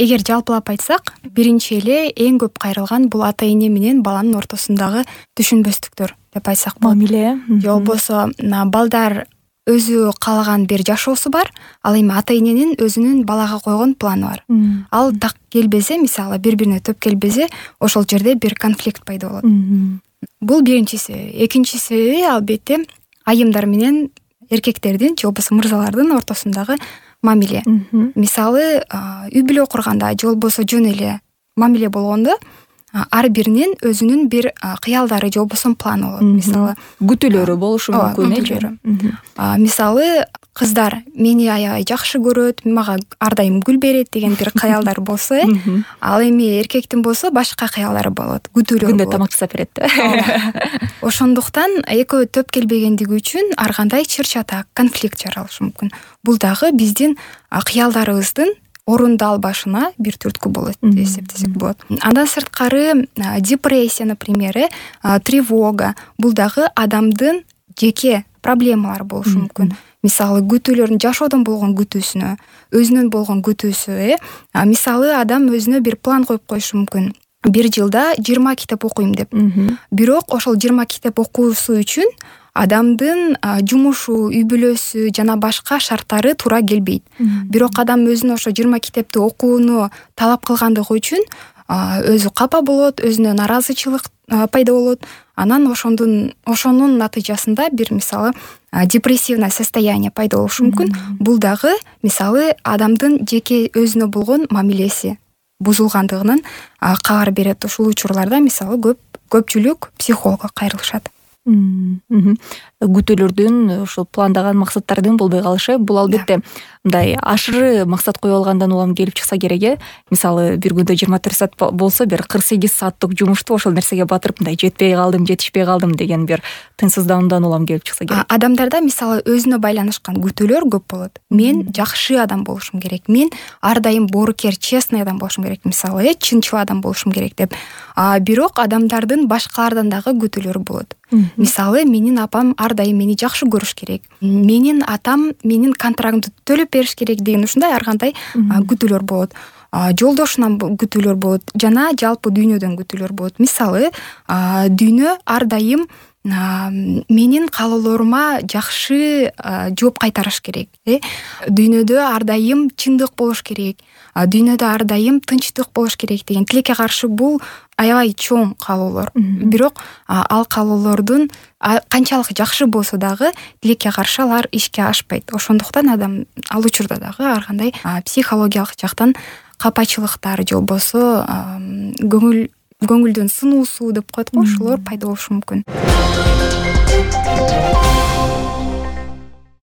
эгер жалпылап айтсак, биринчи эле эң көп кайрылган бул ата эне менен баланын ортосундагы түшүнбөстүктөр деп айтсак болот. Мамиле. Же болбосо балдар өзү каалаган бир жашоосу бар, ал эми ата эненин өзүнүн балага койгон планы бар. Ал так келбесе, мисалы бири-бирине төп келбесе, ошол жерде бир конфликт пайда болот. Бул биринчи себеби. Экинчи себеби албетте айымдар менен эркектердин же болбосо мырзалардын ортосундагы мамиле. Мисалы, үй бүлө курганда же болбосо жөн эле мамиле болгондо ар биринин өзүнүн бир кыялдары же болбосо планы болот. Мисалы, күтүүлөрү болушу мүмкүн. Мисалы, кыздар мени аябай жакшы көрөт, мага ар дайым гүл берет деген бир кыялдар болсо, ал эми эркектин болсо башка кыялдары болот, күтүүлөр болот. Күндө тамак жасап берет. Ошондуктан экөө төп келбегендиги үчүн ар кандай чыр-чатак, конфликт жаралышы мүмкүн. Бул дагы биздин кыялдарыбыздын орундалбашына бир түрткү болот деп эсептесек болот. Андан сырткары депрессия, например, тревога, бул дагы адамдын жеке проблемалары болушу мүмкүн. Мисалы, күтүүлөрдүн жашоодон болгон күтүүсүнө, өзүнөн болгон күтүүсү, мисалы, адам өзүнө бир план коюп коюшу мүмкүн. Бир жылда 20 китеп окуйм деп. Бирок ошол 20 китеп окуусу үчүн адамдын жумушу, үй бүлөсү жана башка шарттары туура келбейт. Бирок адам өзүнө ошо 20 китепти окууну талап кылгандыгы үчүн өзү капа болот, өзүнө наразычылык пайда болот. Анан ошонун натыйжасында бир, мисалы, депрессивное состояние пайда болушу мүмкүн. Бул дагы, мисалы, адамдын жеке өзүнө болгон мамилеси бузулгандыгынын кабар берет. Ушул учурларда, мисалы, көпчүлүк психологко кайрылышат. Күтүүлөрдүн, ошол пландаган максаттардын болбой калышы, бул албетте мындай ашыры максат коюп алгандан улам келип чыкса керек. Мисалы, бир күндө 24 саат болсо, бир 48 сааттык жумушту ошол нерсеге батырып, мындай жетишпей калдым деген бир тынчсыздануудан улам келип чыкса керек. Адамдарда, мисалы, өзүнө байланышкан күтүүлөр көп болот. Мен жакшы адам болушум керек, мен ар дайым боорукер, честный адам болушум керек, мисалы, чынчыл адам болушум керек деп. Бирок адамдардын башкалардан дагы күтүүлөрү болот. Мисалы, менин апам ар дайым мени жакшы көрүш керек, менин атам менин контрактымды төлөп бериш керек деген ушундай ар кандай күтүүлөр болот. Жолдошунан күтүүлөр болот, жана жалпы дүйнөдөн күтүүлөр болот. Мисалы, дүйнө ар дайым менин каалоолорума жакшы жооп кайтарыш керек. Дүйнөдө ар дайым чындык болуш керек, дүйнөдө ар дайым тынчтык болуш керек деген тилекке каршы бул аябай чоң каалоолор. Бирок ал каалоолордун канчалык жакшы болсо дагы тилекке каршы алар ишке ашпайт. Ошондуктан адам ал учурда дагы ар кандай психологиялык жактан капачылыктар же болбосо көңүлдүн сынуусу деп коет го, ошолор пайда болушу мүмкүн.